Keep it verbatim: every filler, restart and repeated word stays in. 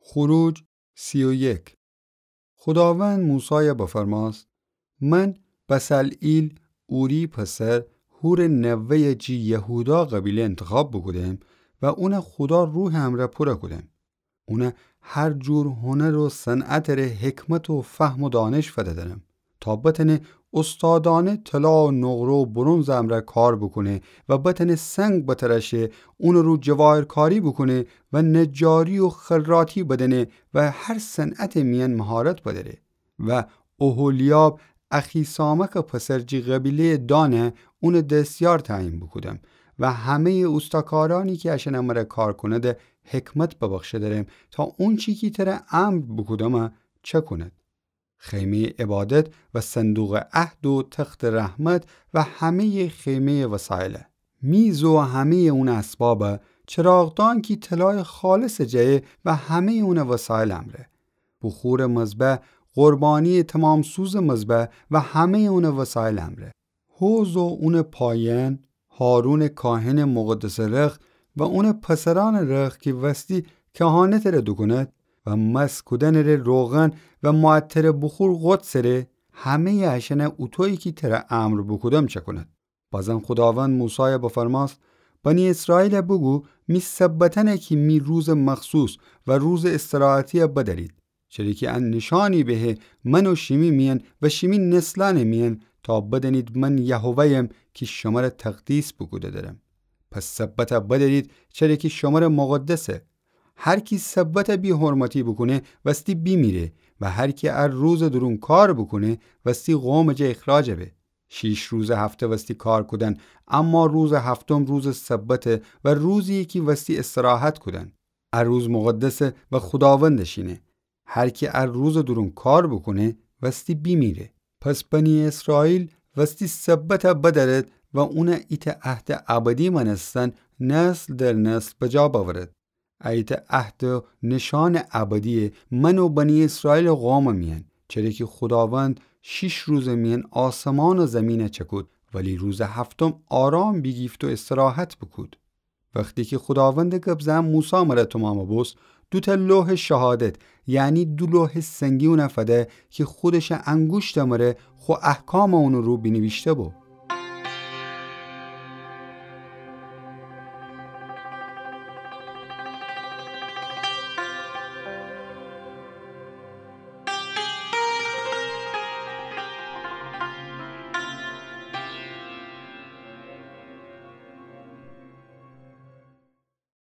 خروج سی و یک. خوداوند موسایَ بفرماست: من بصلعیل، اوری پسر هورٚ نوه‌یَ جی یهودا قبیله انتخاب بوکودم و اونَ خودا روحٚ امرأ پورَ کودم. اونَ هر جور هنر و صنعتٚ ره حکمت و فهم و دانش فده‌درم، تا بتأنه استادأنه طلا و نقره و برنزٚ امرأ کار بوکونه و بتأنه سنگ بترأشه، اونٚ رو جواهرکاری بوکونه و نجاری و خراطی بدأنه و هر صنعتٚ میأن مهارت بدأره. و اوحولیاب، اخیسامکٚ پسر جی قبیله‌یٚ دانَ اونٚ دستیار تعیین بوکودم و همه‌یٚ اوستاکارأنی کی اَشأنٚ مرأ کار کونده حکمت ببخشه‌درم، تا اونچی کی تره امر بوکودمَ چکونید. خیمه‌یٚ عبادت و صندوقٚ عهد و تختٚ رحمت و همه‌یٚ خیمه‌یٚ وسایلَ، میز و همه‌یٚ اونٚ اسبابَ، چراغدان کی طلایٚ خالصَ جیه و همه‌یٚ اونٚ وسایلٚ امرأ، بخورٚ مذبح، قربانیٚ تمام‌سوزٚ مذبح و همه‌یٚ اونٚ وسایلٚ امرأ، حوض و اونٚ پایأن، هارونٚ کاهنٚ مقدسٚ رخت و اونٚ پسرأنٚ رخت کی وستی کهانتٚ ره دوکونید و مس کودنٚ ره روغن و معطرٚ بخور قدسٚ ره، همه‌یٚ اَشأنَ اوطویی کی تره امر بوکودم چکونید. بازم خوداوند موسایَ بفرماست: بنی اسرائیلَ بوگو می سبتأنَ کی می روزٚ مخصوص و روزٚ استراحتی‌یَ بدأرید، چره کی اَن نشانی بهه من و شیمی میأن و شیمی نسلأنٚ میأن، تا بدأنید من یهوه‌یم کی شمرَ تقدیس بوکوده درم. پس سبتَ بدأرید، چره کی شمرَ مقدسه. هر کی سبتَ بی‌حرمتی بوکونه، وستی بیمیره، و هر کی ا روزٚ دورون کار بوکونه، وستی قومٚ جا اخراج به. شیش روزٚ هفته وستی کار کودن، اما روزٚ هفتم روزٚ سبته و روزییه کی وستی استراحت کودن. ا روز مقدسه و خوداوندٚ شینه. هر کی ا روزٚ دورون کار بوکونه، وستی بیمیره. پس بنی اسرائیل وستی سبتَ بدأرید و اونَ ایتأ عهدٚ ابدی مأنستن نسل در نسل بجا بأورید. ایتأ عهد و نشانٚ ابدییه من و بنی اسرائیلٚ قومٚ میأن، چره کی خوداوند شیش روزٚ میأن آسمان و زیمینَ چکود، ولی روزٚ هفتم آرام بیگیفت و استراحت بوکود. وختی کی خوداوندٚ گب زن موسی مرَ تومامَ بوست، دوتأ لوحٚ شهادت، یعنی دو لوحٚ سنگی اونَ فده کی خودشٚ انگوشتٚ مرَ خو احکامَ اونٚ رو بینیویشته‌بو.